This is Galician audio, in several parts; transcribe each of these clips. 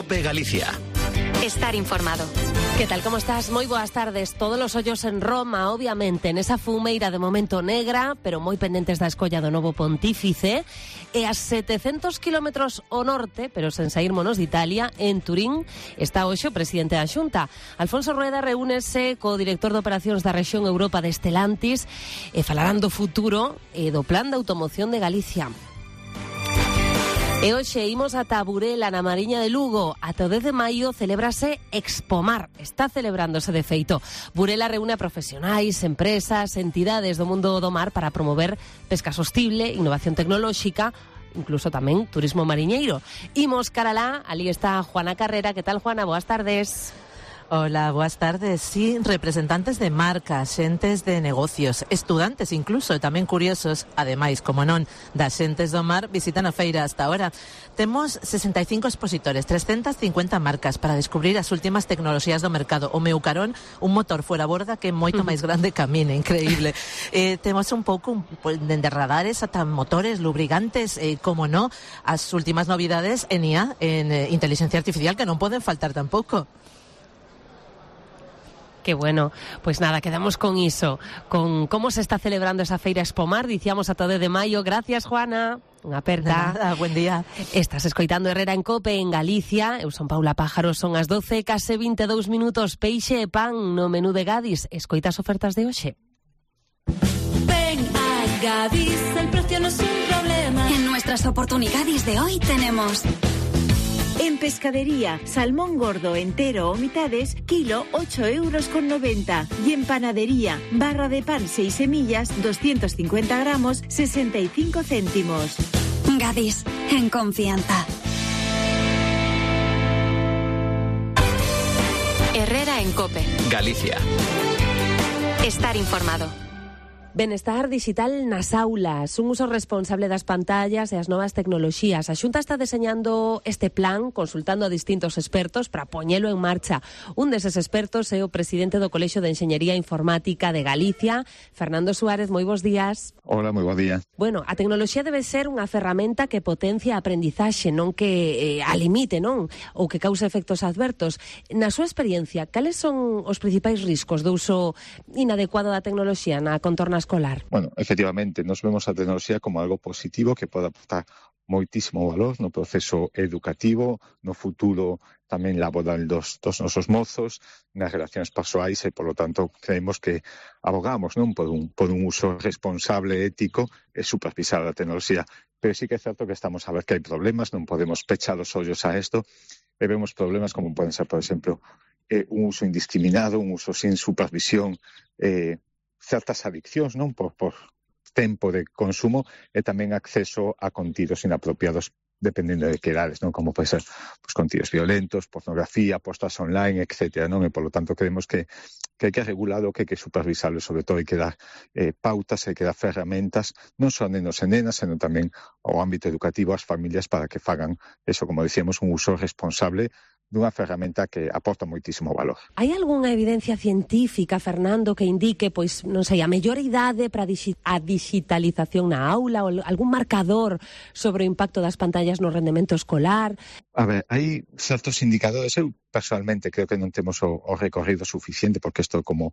COPE Galicia. Estar informado. ¿Qué tal? ¿Cómo estás? Moi boas tardes. Todos os ollos en Roma, obviamente, nesa fumeira de momento negra, pero moi pendentes da escolla do novo pontífice, e a 700 kilómetros ao norte, pero sen saírmonos de Italia, en Turín, está hoxe o presidente da Xunta. Alfonso Rueda reúnese co director de operacións da rexión Europa de Stellantis e falarán do futuro e do plan de automoción de Galicia. E hoxe imos ata Burela, na Mariña de Lugo. Ata o 10 de maio celébrase Expomar. Está celebrándose de feito. Burela reúne a profesionais, empresas, entidades do mundo do mar para promover pesca sostible, innovación tecnolóxica, incluso tamén turismo mariñeiro. Imos cara lá, ali está Juana Carrera. Que tal, Juana? Boas tardes. Hola, boas tardes. Sí, representantes de marcas, xentes de negocios, estudantes incluso, e tamén curiosos, ademais, como non, das xentes do mar, visitan a feira hasta ahora. Temos 65 expositores, 350 marcas para descubrir as últimas tecnoloxías do mercado. O meu carón, un motor fuera borda que é moito máis grande que a mina, increíble. Temos un pouco dende radares ata motores, lubricantes, como non, as últimas novidades en IA, en inteligencia artificial, que non poden faltar tampouco. Qué bueno, pues nada, quedamos con iso, con cómo se está celebrando esa feira Expomar, dicíamos ata o 10 de maio. Gracias, Juana. Unha aperta. Nada, buen día. Estás escoitando Herrera en Cope en Galicia. Eu son Paula Pájaro, son as 12, case 22 minutos. Peixe e pan no menú de Gadis. Escoitas ofertas de hoxe. Ven a Gadis, el precio no es un problema. En nuestras oportunidades de hoy tenemos... En pescadería, salmón gordo entero o mitades, kilo 8,90 €. Y en panadería, barra de pan 6 semillas, 250 gramos, 65 céntimos. Gadis, en confianza. Herrera en Cope. Galicia. Estar informado. Benestar digital nas aulas, un uso responsable das pantallas e as novas tecnoloxías. A Xunta está deseñando este plan, consultando a distintos expertos para poñelo en marcha. Un deses expertos é o presidente do Colexio de Enxeñería Informática de Galicia, Fernando Suárez. Moi bons días. Hola, moi bons días. Bueno, a tecnoloxía debe ser unha ferramenta que potencia a aprendizaxe, non que a limite, non? Ou que cause efectos adversos. Na súa experiencia, cales son os principais riscos do uso inadecuado da tecnoloxía na contorna escolar? Bueno, efectivamente, nos vemos a tecnoloxía como algo positivo que pode aportar moitísimo valor no proceso educativo, no futuro tamén laboral dos nosos mozos, nas relacións persoais e, polo tanto, creemos que abogamos non por un uso responsable, ético e supervisado da tecnoloxía. Pero sí que é certo que estamos a ver que hai problemas, non podemos pechar os ollos a isto, e vemos problemas como poden ser, por exemplo, un uso indiscriminado, un uso sin supervisión, certas adiccións, non, por tempo de consumo e tamén acceso a contidos inapropiados dependendo de que edades, non, como pode ser contidos violentos, pornografía, postas online, etcétera, non, e polo tanto creemos que hai que regularlo, que hai que supervisarlo, sobre todo hai que dar pautas, hai que dar ferramentas, non só a nenos e nenas, senón tamén ao ámbito educativo, ás familias, para que fagan eso, como dicíamos, un uso responsable dunha ferramenta que aporta moitísimo valor. Hai algunha evidencia científica, Fernando, que indique, pois, non sei, a mellor idade para a digitalización na aula, ou algún marcador sobre o impacto das pantallas no rendemento escolar? A ver, hai certos indicadores. Eu, personalmente, creo que non temos o recorrido suficiente, porque isto como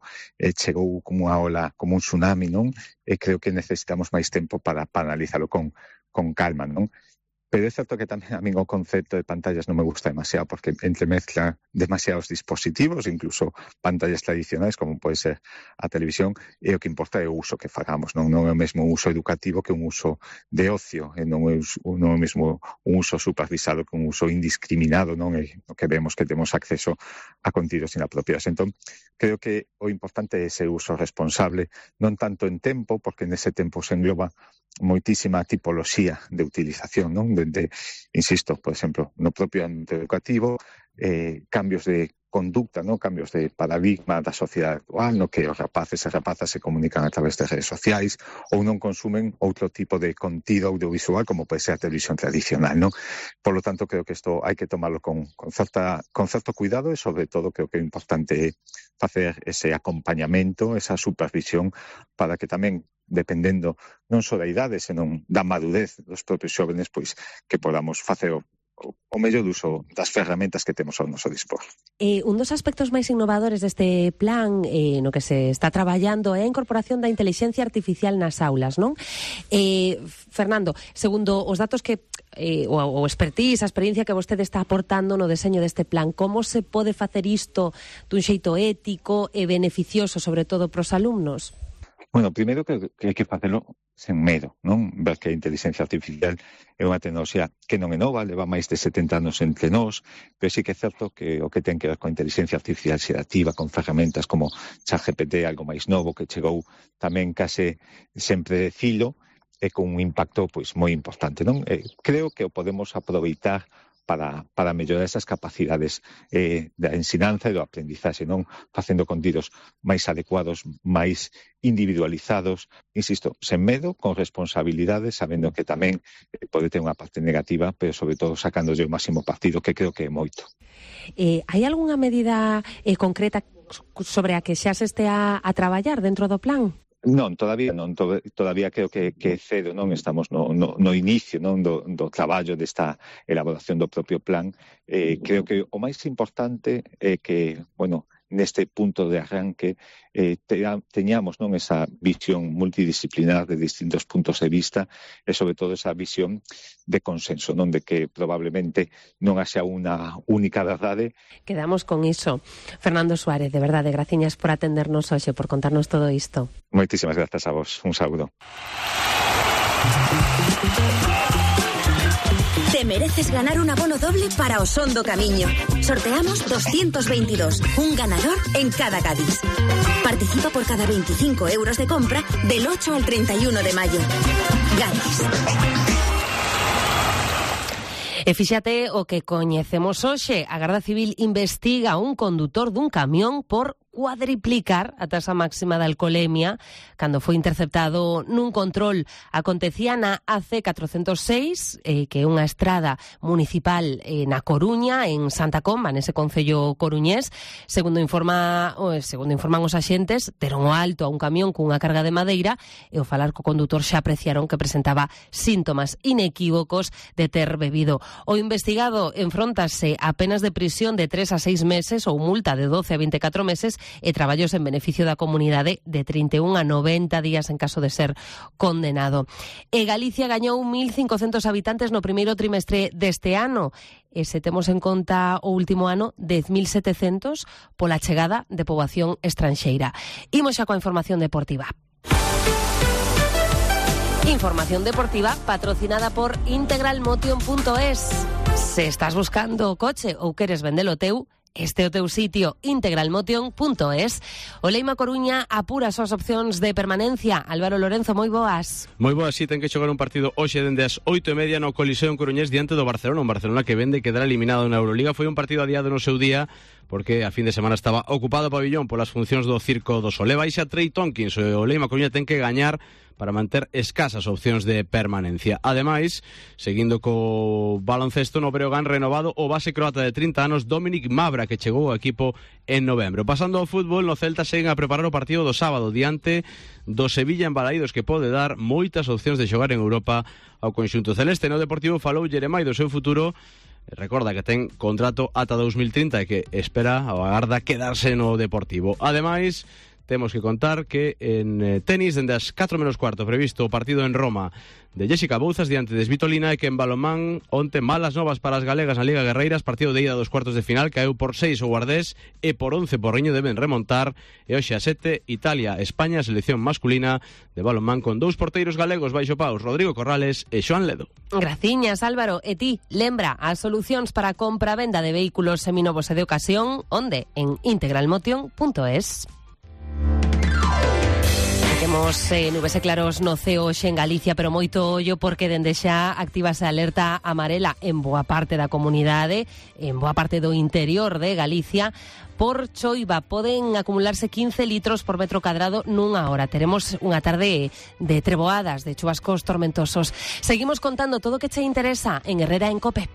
chegou como unha ola, como un tsunami, non? E creo que necesitamos máis tempo para analizarlo con calma, non? Pero é certo que tamén a min o concepto de pantallas non me gusta demasiado, porque entremezcla demasiados dispositivos, incluso pantallas tradicionais, como pode ser a televisión, e o que importa é o uso que fagamos, non é o mesmo uso educativo que un uso de ocio, e non é o mesmo un uso supervisado que un uso indiscriminado, non é o que vemos que temos acceso a contidos inapropiados. Entón, creo que o importante é ese uso responsable, non tanto en tempo, porque nese tempo se engloba moitísima tipoloxía de utilización, non? Insisto, por exemplo, no propio ámbito educativo, cambios de conducta, ¿no? Cambios de paradigma da sociedade actual, no que os rapaces e rapazas se comunican a través de redes sociais ou non consumen outro tipo de contido audiovisual como pode ser a televisión tradicional, ¿no? Por lo tanto, creo que isto hai que tomarlo con certo cuidado e, sobre todo, creo que é importante facer ese acompañamento, esa supervisión para que tamén, dependendo non só da idade, senón da madurez dos propios xóvenes, pois que podamos facer o mellor uso das ferramentas que temos ao noso dispor. Un dos aspectos máis innovadores deste plan no que se está traballando é a incorporación da intelixencia artificial nas aulas, non? Fernando, segundo os datos que o expertise, a experiencia que vostede está aportando no deseño deste plan, como se pode facer isto dun xeito ético e beneficioso, sobre todo pros alumnos? Bueno, primeiro que hai que facelo sen medo, non? Ver que a inteligencia artificial é unha tecnoloxía que non é nova, leva máis de 70 anos entre nós, pero sí que é certo que o que ten que ver con a inteligencia artificial xerativa, con ferramentas como ChatGPT, algo máis novo que chegou tamén case sempre de filo, e con un impacto pois moi importante, non? Creo que o podemos aproveitar para mellorar esas capacidades da ensinanza e do aprendizaxe, non? Facendo contidos máis adecuados, máis individualizados, insisto, sen medo, con responsabilidade, sabendo que tamén pode ter unha parte negativa, pero sobre todo sacándolle o máximo partido, que creo que é moito. Hai algunha medida concreta sobre a que xa se estea a traballar dentro do plan? Non, todavía creo que é cedo, non? Estamos no inicio, non, do traballo desta elaboración do propio plan. Creo que o máis importante é que, bueno, neste punto de arranque teñamos, non, esa visión multidisciplinar de distintos puntos de vista e sobre todo esa visión de consenso, non, de que probablemente non haxa unha única verdade. Quedamos con iso. Fernando Suárez, de verdade, graciñas por atendernos hoxe, por contarnos todo isto. Moitísimas grazas a vos. Un saúdo. Te mereces ganar un abono doble para Osondo Camiño. Sorteamos 222, un ganador en cada Gadis. Participa por cada 25 euros de compra del 8 al 31 de mayo. Gadis. E fíxate o que coñecemos hoxe. A Garda Civil investiga a un condutor dun camión por cuadriplicar a tasa máxima de alcoholemia cando foi interceptado nun control. Acontecía na AC 406, que é unha estrada municipal na Coruña, en Santa Comba, nese concello coruñés. Segundo informan os axentes, deron o alto a un camión cunha carga de madeira e ao falar co condutor xa apreciaron que presentaba síntomas inequívocos de ter bebido. O investigado enfróntase a penas de prisión de 3 a 6 meses ou multa de 12 a 24 meses e traballos en beneficio da comunidade de 31 a 90 días en caso de ser condenado. E Galicia gañou 1.500 habitantes no primeiro trimestre deste ano. E se temos en conta o último ano, 10.700 pola chegada de poboación estranxeira. Imos xa coa información deportiva. Información deportiva patrocinada por integralmotion.es. Se estás buscando o coche ou queres vendelo teu, este é o teu sitio, integralmotion.es. O Leima Coruña apura as súas opcións de permanencia. Álvaro Lorenzo, moi boas. Moi boas, si ten que xogar un partido hoxe dende as 8:30 no Coliseo en Coruñés diante do Barcelona, un Barcelona que vende quedar eliminado na Euroliga. Foi un partido adiado no seu día porque a fin de semana estaba ocupado o pabillón polas funcións do Circo do Sol. Baixa Trey Tompkins, o Leima Coruña ten que gañar para manter escasas opcións de permanencia. Ademais, seguindo co baloncesto, no Breogán renovado o base croata de 30 anos Dominic Mavra, que chegou ao equipo en novembro. Pasando ao fútbol, no Celta seguen a preparar o partido do sábado diante do Sevilla en Balaídos, que pode dar moitas opcións de xogar en Europa ao conxunto celeste. No Deportivo falou Jeremai do seu futuro. Recorda que ten contrato ata 2030 e que espera ou agarda quedarse no Deportivo. Ademais, temos que contar que en tenis, dende as 4:15 previsto o partido en Roma de Jessica Bouzas diante de Svitolina, e que en balonmán onte malas novas para as galegas na Liga Guerreiras, partido de ida dos cuartos de final, caeu por 6 o Guardés e por 11 Porriño, deben remontar, e hoxe a 7 Italia, España, selección masculina de balonmán con dous porteiros galegos baixo paus, Rodrigo Corrales e Xoán Ledo. Graciñas, Álvaro. E ti, lembra as solucións para a compra-venda de vehículos seminovos e de ocasión, onde? En integralmotion.es. Temos nubes e claros no ceo hoxe en Galicia, pero moito ollo porque dende xa activase a alerta amarela en boa parte da comunidade, en boa parte do interior de Galicia. Por choiva poden acumularse 15 litros por metro cadrado nunha hora. Teremos unha tarde de treboadas, de chubascos tormentosos. Seguimos contando todo o que che interesa en Herrera en Cope.